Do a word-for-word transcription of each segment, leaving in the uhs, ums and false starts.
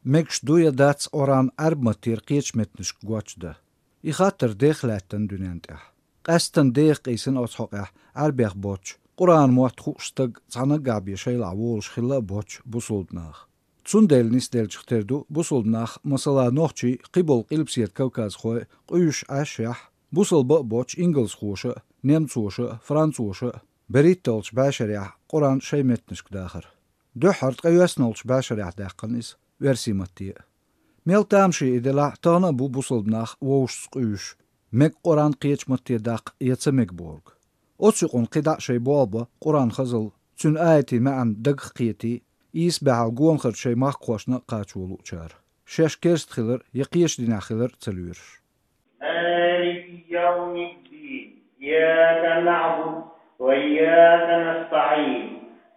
Мегаш ду я дац Ӏоран Ӏарб маттера кхечу меттанашка гоч дан? И хаттар дех лаьттина дуьнен тӀехь. Къаьсттина деха къийсина оцу хьокъехь Ӏарбех боцчу, Къуръан мотт хууш стаг цхьа наггахь бен шайлахь волуш хилла а боцчу бусулба наха. Цундела нисделлачух тера ду бусулба нах, масала, нохчий, кхиболу Къилбаседа кавказхой къуьйсуш Ӏаш яхь, бусалба а боцчу ингалсхоша а, немцоша а, францоша а, берхӀитталгӀачу бӀешарехь Къуръан шайн меттанашка дахар. Дуьххьара ткъе йоьсналгӀачу бӀешарехь даьккхина иза оьрсийн матте а. Мел тамашийна и делахь, тахана а бу бусалба нах вовшашца къуьйсуш, мега Къуръан кхечу матте даккха я ца мега бохург. Оцу юкъана кхидӀа а шайн болх бан Къуръан хазалла, цуьнан аятийн маьӀна дагах кхетий, ийс баьхьал гонахарчу шайн махкахошна а кхачо луучара, шаьш керста хилар я кхечу динехь хилар а ца лоьруш. مالك يوم الدين. إياك نعبد وإياك نستعين.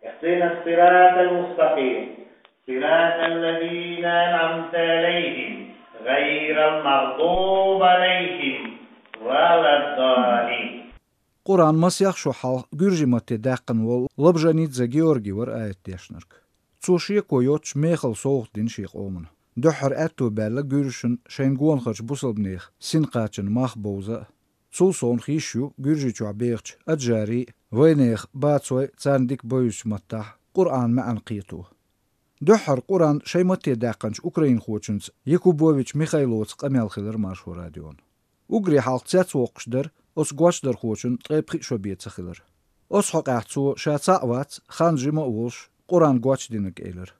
اهدنا الصراط المستقيم. صراط الذين أنعمت عليهم. غير المغضوب عليهم ولا الضالين. Къуръан масех шо хьалха гуьржийн матте даьккхина волу Лабжанидзе Георгий вара аят дешнарг. Цо шеко йоцуш мехала совгӀат дина шен къомана. Дуьххьара аьтто баьлла гуьржашна шайна гонахарчу бусалбанех синкхачанна мах бовза а. Цул совнаха йиш ю гуьржий чохь бехачу аджарийн, вайнехан, бацойн, царна дика бевзачу маттахь Къуръан маьӀна кхето. Дуьххьара Къуръан шайн матте даьккхинчу украинхочуьнца Якубович Михайловца къамел хилира Маршо радион. Уггаре хьалха цецвоккхуш дара оцу гочдархочун ткъе пхиъ шо бен ца хилар. Оцу хьокъехь цо ша цхьаъ вац, хан жима а волуш, Къуръан гочдинарг элира.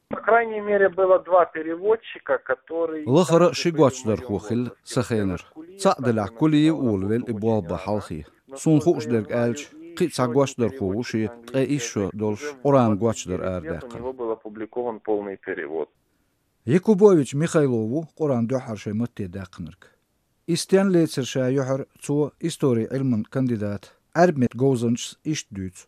По крайней мере, было два переводчика, которые... Лахара а ши гочдархо хилла сан хенара. Цхьаъ делахь, Кулиев Оля велла и болх бан хьалхе. Суна хууш дерг аьлча, кхин а цхьа гочдархо ву шен ткъе исс шо долуш Къуръан гочдар арадаьккхина. У него был опубликован полный перевод. Якубович Михайло ву Къуръан дуьххьара шайн матте даьккхинарг. И стенна лецира ша юьхьар цо, историн Ӏилман кандидата, Ӏаьрбийн меттан говзанчас иштта дуьйцу.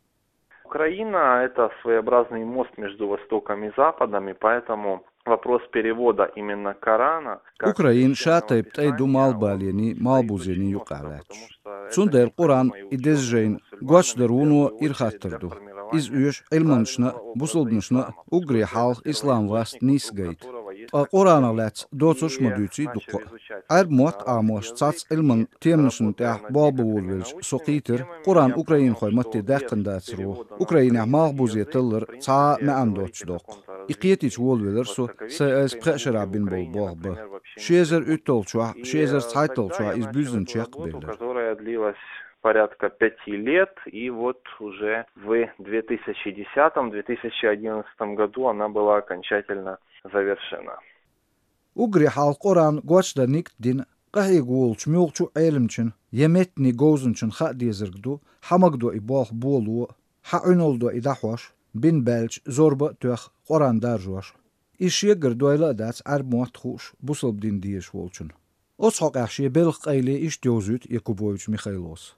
Украина — это своеобразный мост между Востоком и Западом, и поэтому вопрос перевода именно Корана как... Украина ша тайпа тӀай ду малхбалений, малхбузений юкъахь лаьтташ. Цундела Къуръан и деза жайна гочдар вуно ира хаттар ду. Иза оьшу Ӏилманчашна а, бусалбанашна а уггаре хьалха ислам васт нийса гайта. Ткъа Къуръанах лаьцна доцурш ма дуьйций дуккха а. Ӏаьрбийн мотт Ӏамош цхьацца Ӏилман теманашна тӀехь болх бан волавелча со кхийтира, Къуръан украинхойн матте даьккхина дацаро, Украинехь малхбузе таллар цхьа а маьӀна доцуш доккху. И кхетийча волавелира со, сайн айса пхеа шарахь бина болу болх бан. Ши эзар уьтталгӀачохь, ши эзар цхьайтталгӀачохь иза буьззина чекхбеллера. Которая длилась порядка пяти лет, и вот уже в две тысячи десятом, две тысячи одиннадцатом году она была окончательно завершена. Уггаре хьалха Къуръан гочдар нигат дина къахьега волучу муьлххачу а Ӏеламчун я меттанийн говзанчун хаа дезарг ду, хьан магадо и болх боло а, хьан Ӏуьналла до и дӀахьош, бина баьлча зорба а тоьхна, Къуръан даржош. Иза шегара дойла а дац Ӏаьрбийн мотт хууш, бусалба дин дезаш волчунна. Оцу хьокъехь шен белхан къайле иштта йовзуьйту Якубович Михайлос.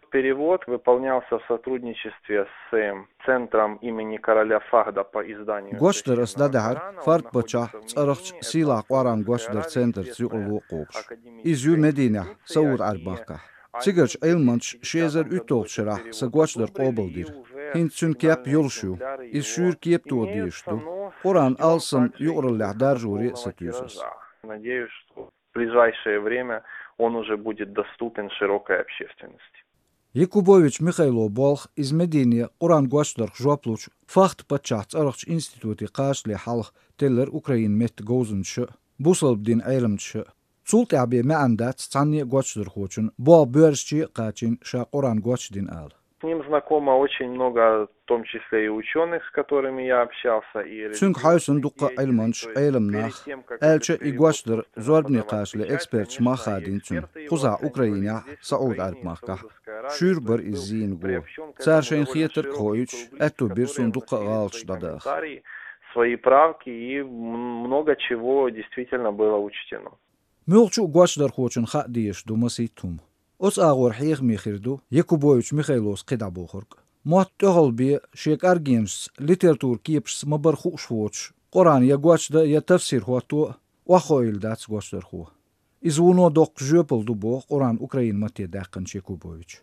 Перевод выполнялся в сотрудничестве с, э, центром имени короля Фахда по изданию... Гочдар ас дӀадаьхьира Фард паччахьан цӀарахчу сийлахь Къуръан гочдаран центрца юкъаралла а кхобуш. Иза ю Мединехь, Сауд-Ӏаьрбийн махкахь. Цигарчу Ӏилманчаша ши эзар уьтталгӀачу шарахь сан гочдар къобалдира. ХӀинца цуьнан кеп йолуш ю. Иза шуьйра кепатоха дезаш ду. Къуръан алсам юкъараллехь даржоре а сатуьйсу ас. Надеюсь, что в ближайшее время он уже будет доступен широкой общественности. Якубович Михайло болх иза Медине Къуръан гочдарх жоп лучу Фахд паччахьан цӀарахчу институте кхачале хьалха теллира Украинан меттан говзанчаша а, бусалба динан Ӏеламчаша а. Цул тӀаьхьа бен маьӀна дац цхьанне а гочдархочун болх боьрзаче а кхачийна ша Къуръан гочдина ала. С ним знакомо очень много, в том числе и учёных, с которыми я общался, и... Цуьнга хьаьвсина дуккха а Ӏилманчаш, Ӏеламнах, аьлча а и гочдар зорбане кхачале эксперташа мах хадийна цуьнан, кхузахь Украинехь а, Сауд-Ӏаьрбийн махкахь а. Шуьйра бара иза зийна го. Цара шайна хетарг а хоуьйтуш, аьтто бира суна дуккха а гӀалаташ дӀадаха. Свои правки, и м-, много чего действительно было учтено. Муьлххачу а гочдархочун хаа дезаш ду масийтта хӀума. Оцу агӀор хьехаме хир ду Якубович Михайлос кхидӀа бохург. Мотт тӀехула бен шен кӀаргенашца, литературан кепашца ма-барра хууш воцуш, Къуръан я гочдан, я тафсир хӀотто а охьахоийла дац гочдархо. Иза вуно доккха жоьпалла ду боху Къуръан украин матте даьккхинчу Якубовича.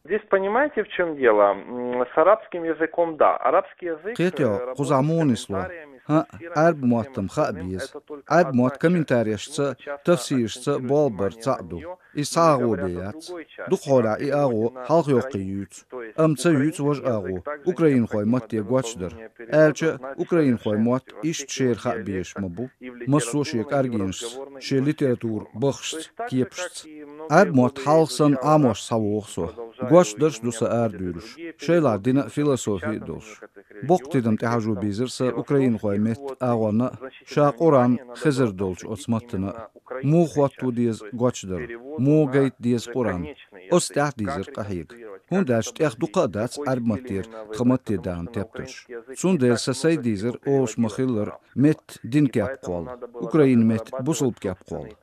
Здесь понимаете, в чем дело? М, С арабским языком, да. Арабский язык... Кхетий, э, кхузахь работает с муха нисло? Комментариями, с... ХӀаъ, фиксированием, Ӏаьрба мотт-м хаьа беза. Ӏаьрба мотт комментарийшца, тафсирашца болх бар цхьаъ ду. Иза цхьа агӀо бе яц. Дукха хьолахь и агӀо хьалхайоккхуш юьйцу. Амма ца юьйцу важа агӀо, украинхойн матте гочдар. Аьлча, украинхойн мотт иштта шера хаа безаш ма бу, массо а шен кӀаргенашца, шен литературан бахашца, кепашца. Ӏаьрба мотт хьалха санна Ӏамош схьавогӀу со. Гочдарш ду сан арадуьйлуш, шайлахь дина а, философи а долуш. Боккха тидам тӀехьажо бийзира сан украинхойн меттан агӀонна а, ша Къуръан хезар долчу оцу маттана а. Муха хӀотто деза гочдар, муха гайта деза Къуръан? Оцу тӀехь дийзира къахьега. ХӀунда аьлча тӀех дукха а дац Ӏаьрба маттера тхан матте дахана тептарш. Цундела сан сайн дийзар олуш ма-хиллара, меттан динан кеп кхолла, украин меттан бусалба кеп кхолла.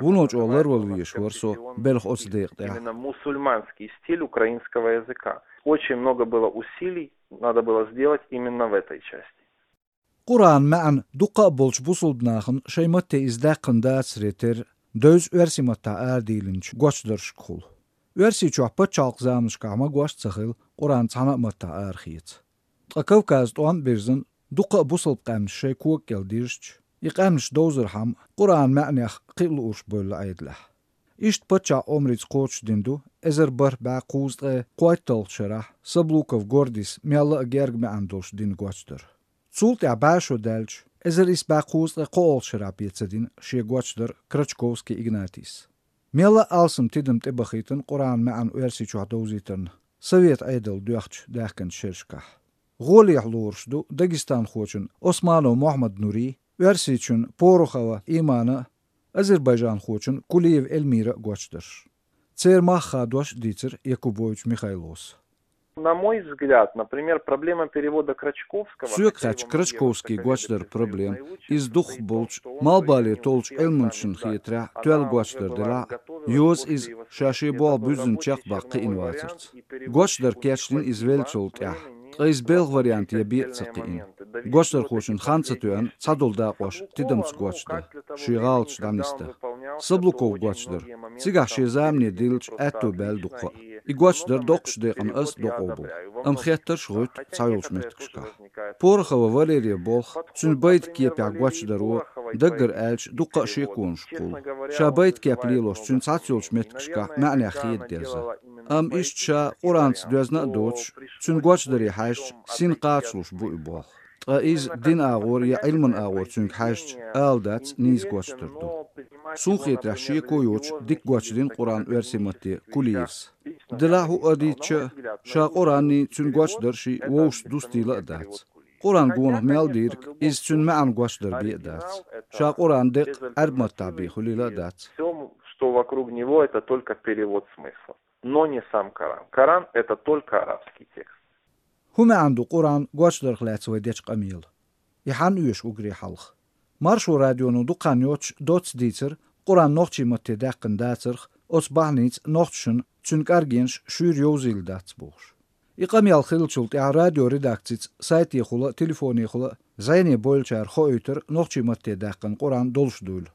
Вуно чӀогӀа ларвала везаш вара со белха оцу декъа тӀехь. Именно мусульманский стиль украинского языка. Очень много было усилий, надо было сделать именно в этой части. Къуръанан маьӀна дукха а болчу бусалба нахана шайн матте иза даьккхина дацаре терра, девза оьрсийн маттахь арадийлинчу гочдаршкахула. Оьрсийчохь пачхьалкхан заманашкахь магош а ца хилла, Къуръан цхьана а маттахь арахеца. Ткъа Кавказан тӀом а бирзина, дукха а бусалба къаьмнаш шайн кога кӀел дирзича, и къаьмнаш довзархьама, Къуръанан маьӀнех кхин а луурш бевлла Ӏедалехь. Иштта паччахьан омрица кхочушдина ду эзар бархӀ бӀе кхузткъе кхойтталгӀачу шарахь Саблуков Гордис мелла а герга маьӀна долуш дина гочдар. Цул тӀаьхьа бӀе шо даьлча, эзар исс бӀе кхузткъе кхоалгӀачу шарахь бен ца дина шен гочдар Крачковский Игнатийс. Мелла а алсам тидам тӀебахийтина Къуръанан маьӀна оьрсийчохь довзийтарна, совет Ӏедал доьхначу даьхкинчу шерашкахь. ГӀолехь лоруш ду дагестанхочун Османов Мохьмад-Нурин, оьрсийчун Порохова Иманан а, азербайджанхочун Кулиева Эльмиран а гочдарш. Церан мах хадош а дийцира Якубович Михайлос. На мой взгляд, например, проблема перевода Крачковского... Соьга хаьттича, Крачковский гочдаран проблема, иза дукхахболчу малхбале толлучу Ӏилманчашна хетарехь, тоьлла гочдар делахь а, йоза иза ша шен болх буьззина чекхбаккха кхиъна вацарца. Гочдар кечдина иза веллачул тӀаьхьа, ткъа иза белхан вариант ян бен а ца кхиъна. Гочдархочун хан ца тоьъна цхьадолу дакъош тидамца гочдан, шен гӀалаташ дӀанисдан. Саблуковн гочдар цигахь шен замане диллича аьтто баьлла дукха а. И гочдар доккхачу декъана аса докъо бу, амма хеттарш а гӀуьтту цхьайолчу меттигашкахь. Порохова Валерин болх, цуьнан байта кепехь гочдаро, даггара аьлча, дуккха а шеконаш кхуллу. Ша байта кеп лелош цуьнан цхьаццайолчу меттигашкахь маьӀнех хеда дезна. Амма иштта ша Къуръанца доьзна а доцуш, цуьнан гочдаре хьаьжча, син кхачалуш бу и болх. Ткъа иза динан агӀор я Ӏилманан агӀор цуьнга хьаьжча, ала дац, нийса гочдар ду. Суна хетарехь, шеко йоцуш дика гочдина Къуръан оьрсийн матте Кулиевс. Делахь а хӀуъа дийцча а, ша Къуръанний, цуьнан гочдарший вовшашца дустийла а дац. Къуръан гонах мел дийриг иза цуьнан маьӀна гочдар бен а дац. Ша Къуръан декъ Ӏаьрба маттахь бен хуьлийла а дац. Всё, что вокруг него, это только перевод смыслов, но не сам Коран. Коран — это только арабский текст. ХӀун маьӀна ду Къуръан гочдарх лаьцна вай дечу къамелан? И хьанна оьшу уггаре хьалха? Маршо радионо дукха хан йоццуш доцца дийцира Къуръан нохчийн матте даьккхина дацарх, оцу бахьаница нохчашна цуьнан кӀаргенаш шуьйра йовзийла дац бохуш. И къамел хиллачул тӀаьхьа радиоредакцица сайтехула а, телефонехула а зӀене бовлучара хоуьйтура нохчийн матте даьккхина Къуръан долуш дуйла.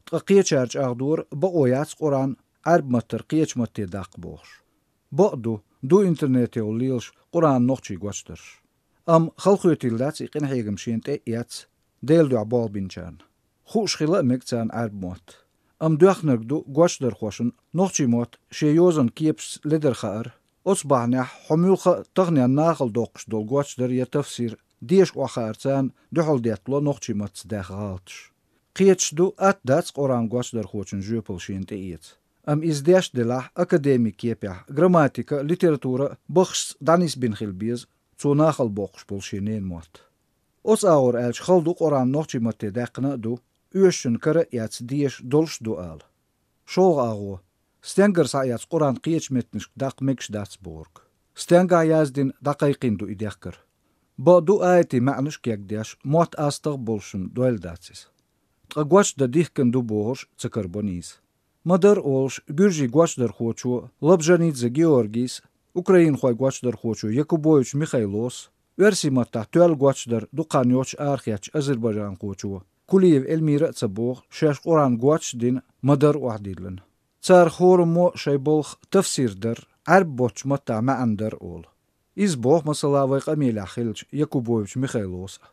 Ткъа кхечара чӀагӀдора, бакъо яц Къуръан Ӏаьрба маттара кхечу матте даккха бохуш. Бакъ ду, ду интернетехула лелаш Къуръанан нохчийн гочдарш. Амма халахоьтийла дац и къинхьегам шена тӀе а эцна, Делан дуьхьа болх бинчарна. Хууш хила а мега царна Ӏаьрба мотт. Амма доьхнарг ду гочдархошна нохчийн мотт шен йозанан кепашца ледара хаар, оцу бахьанехь хьо муьлхха а таханенна нахала доккхуш долу гочдар я тафсир деша охьахаар царна дуьхьал деттало нохчийн маттаца даьхна гӀалаташ. Кхеташ ду, атта дац Къуръан гочдархочун жоьпалла шена тӀеэца. Амма иза деш а делахь, академик кепехь, грамматика а, литература а бахашца дӀанисбина хила беза цо нахала боккхуш болу шен ненан мотт. Оцу агӀор аьлча, хала ду Къуръан нохчийн матте даьккхина а ду, оьшучун кара а эцна деша долуш а ду ала. ШолгӀа агӀо: стенгара схьаэцна Къуръан кхечу меттанашка даккха мегаш дац бохург. Стенгахь яздина, дӀакхайкхийна ду и дехкар. Бакъ ду, аятийн маьӀнаш а кегдеш, мотт астагӀа а болушшна дойла дац иза. Ткъа гочдан дихкина ду бохурш ца карабо нийса. Ма-дарра олуш, гуьржийн гочдархочо Лабжанидзе Георгийс а, украинхойн гочдархочо Якубович Михайлос а, оьрсийн маттахь тоьлла гочдар дукха хан йоццуш арахецначу азербайджанхочо Кулиева Эльмира а ца боху, шаьш Къуръан гочдина, ма-дарра охьадиллина. Царах хӀораммо а шайн балха тафсир дара, Ӏаьрбийн боцчу маттахь маьӀна дар олу. Иза боху, масала, вайн къамелехь хиллачу Якубович Михайлос а.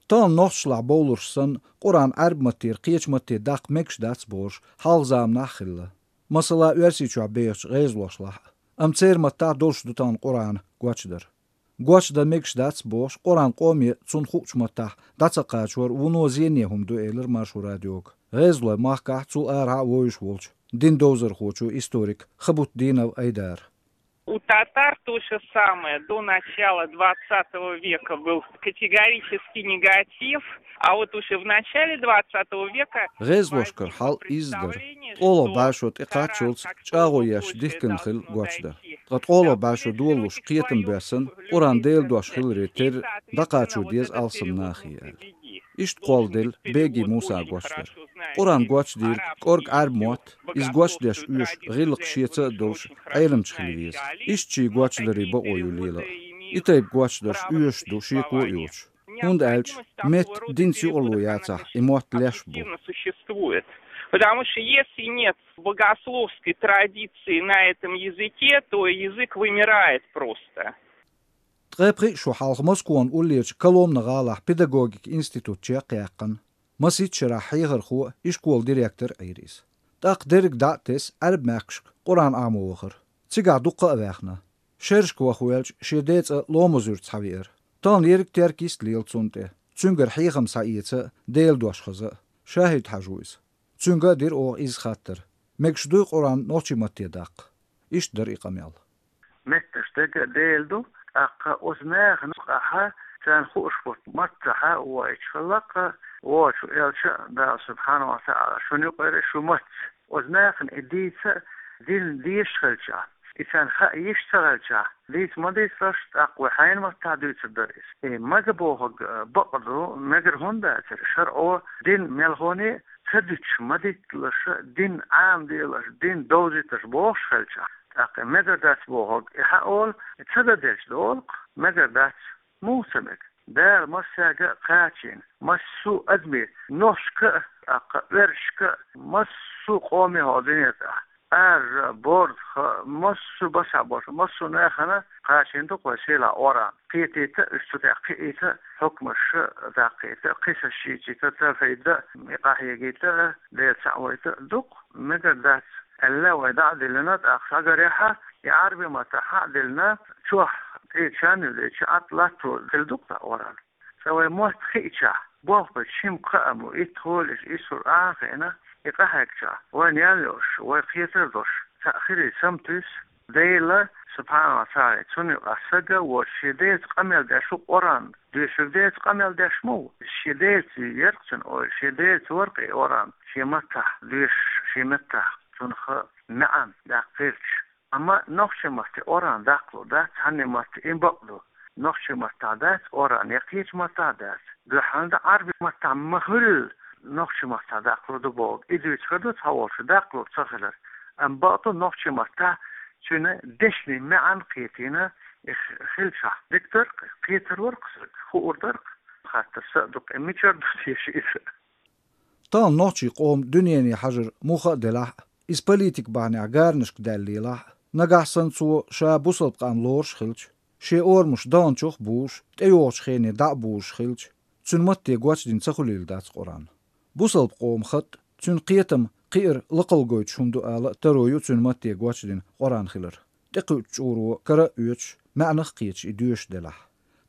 Тахана нохчашлахь бовлуш санна, Къуръан Ӏаьрбийн маттера кхечу матте даккха мегаш дац бохуш, хьалха заманахь а хилла. Масала, Оьрсийчохь бехачу гӀезалошлахь а. Амма церан маттахь долуш ду тахана Къуръан гочдар. Гочдан мегаш дац бохуш, Къуръан къоме цунна хуучу маттахь дӀа ца кхачор вуно зене хӀума ду, элира Маршо радиога гӀезалойн махкахь цул арахьа а вовзуш волчу дин довзархочо, историк Хабутдинов Айдара. У татар то же самое. До начала двадцатого века был категорический негатив, а вот уже в начале двадцатого века гӀезалошкара хьал иза дара. ТкъолгӀа бӀешо тӀекхаччалц чӀагӀо еш дихкина хилла гочдар. Ткъа ткъолгӀа бӀешо долалуш кхетам боьссина, Къуръан Делан дош хиларе терра дӀакхачо деза алсам нахе аьлла. Иштта кхолладелла Беги Мусан гочдар. Къуръан гочдийриг кӀорга Ӏаьрбийн мотт, иза гочдеш оьшу гӀиллакх шеца а долуш, Ӏеламчу хила веза. Иштта шен гочдарийн бакъо ю лела а. И тайпа гочдарш оьшуш ду шеко а йоцуш. ХӀунда аьлча метта динца юкъарло яцахь, и мотт леш бу. Потому что если нет богословской традиции на этом языке, то язык вымирает просто. Ткъе пхиъ шо хьалха Москван уллерчу Коломна гӀалахь педагогикан институт чекхъяьккхина. Масийтта шарахь хьехархо а, ишколан директор а Ӏийра иза. ТӀаккха дерриг дӀа а тесна, Ӏаьрбийн мехкашка Къуръан Ӏамо вахара. Цигахь дуккха а ваьхна. Шерашка ваха ваьлча, шен ден цӀа Ломазуьрца схьавеара. Тахана ерриг теркйист лела цунна тӀе. Цуьнгара хьехам схьаэца а, Делан дош хаза а. ШахӀид-Хьаьжа ву иза. Цуьнга а дира оха изза хаттар: мегаш дуй Къуръан нохчийн матте даккха? Иштта дара и къамел. Меттанаш дерг а Делан ду, тӀаккха оцу нахана юкъахь царна хууш болу маттахь а воуьйтуш хилла-кх, воцуш волчу Дала, субхьанаху ва таӀала, шуна юкъара шу мац. Оцу нахана и дийца а, дин дезаш хилчахь, и царна хаа йиш ца хилчахь, дийца ма дийцалаш, тӀаккха вай хьенан маттахь дуьйцур дара иза. И мага бохург бакъ ду, мегар хӀунда дацара, шарӀо дин мелхоне а ца дуьтуш, ма дитталаш, дин Ӏамаделаш, дин довзийташ бохуш хилчахь, тӀаккха и мегар дац бохург и хьан олу, и ца дан делча долу-кх, мегар дац. Муха ца мега? Дала массаьрга а кхачийна, массо а адаме, нохчашка а, тӀаккха оьрсашка а, массо а къоме хӀокху дуьнен тӀехь, Ӏаьржа, борза, массо а башхьа болуш, массо а нахана кхачийна ду-кх вайн сийлахь Къуръан. Кхетийта а, уьш цу тӀехь кхиийта а, хьукмаш даккхийта а, кхин са шийчийта а, тавхьид а, и къахьегийта а, Дела цхьаъ вайта а ду-кх, мегар дац аьлла, вай дӀа а диллина, тӀаккха схьагарехь а, и Ӏаьрбийн маттахь а диллина, чохь тӀе чан а юьллича, Ӏад латто хилла ду-кх тхан Къуръан. Цкъа вайн мотт хиъчахь, болх бечу шимма кхаам бу, итт хьолаш, исур а хиъна, и къахьегчахь, вайна ял йолуш, вай кхетар долуш, цхьаъ хилийта саматуьйсу, Дела, субхьанаху ва таӀала, цунна юкъахь стаг а воцуш, шен Делаца къамел деш ву Къуръан. Доьшург Делаца къамел деш ма ву. Шен Делаца яра-кх цуьнан ойла, шен Делаца вара-кх и Къуръан, шен маттахь доьшуш, шен маттахь цунах маьӀна даккха хилча. Амма нохчийн матте Къуръан даккхалур дац, цхьанне матте и бакъ ду. Нохчийн маттахь дац Къуръан, я кхечу маттахь дац. Дуьххьал дан Ӏаьрбийн маттахь ма хуьллу, нохчийн маттахь даккхалур ду бохург. И дуьйцуш хир ду цхьаволчо даккхалур ца хилар. Амма бакъ ду нохчийн маттахь цуьнан дешнийн маьӀна кхетийна, и хилчахь дика дара-кх, кхетар вара-кх стаг, хуур дара-кх. Хаттар сан а ду-кх, и мичара ду теша иза? Тахана нохчийн къоман дуьнене хьажар муха а делахь а, иза политикан бахьанехь гаранашка даьлла лелахь а, нагахь санна цо ша бусалба къам лоруш хилча, шен орамаш даханчух а бузуш, тӀейогӀучу хене дӀа а бузуш хилча, цуьнан матте гочдина ца хуьлийла дац Къуръан. Бусалба къоман хатӀ, цуьнан кхетам кхиар лакхалла гойтуш хӀума ду ала а таро ю цуьнан матте гочдина Къуръан хилар. ТӀекхуьучу чкъуро кара а оьцуш, маьӀнах а кхеташ и доьшуш делахь.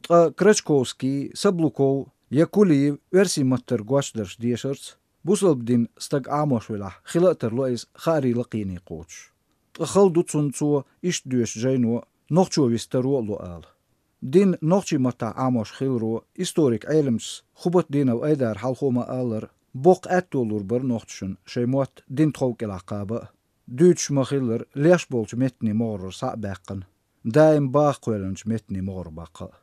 Ткъа Крачковский, Саблуков я Кулиев оьрсийн маттара гочдарш дешарца, бусалба дин стаг Ӏамош велахь, хила а тарло иза хаарийн лакхене кхочуш. Ткъа хала ду цунна цо иштта доьшу жайно нохчо вист таро а ло ала. Дин нохчийн маттахь Ӏамош хиларо историк-Ӏеламчас Хубатдинов Айдара хьалхо ма-аллара, боккха аьтто лур бара нохчашна шайн мотт дин тхов кӀелахь кхаба а, дуьйцуш ма-хиллара, леш болчу меттанийн могӀарера схьа а баьккхина, даим баха кхоьллинчу меттанийн могӀара баккха а.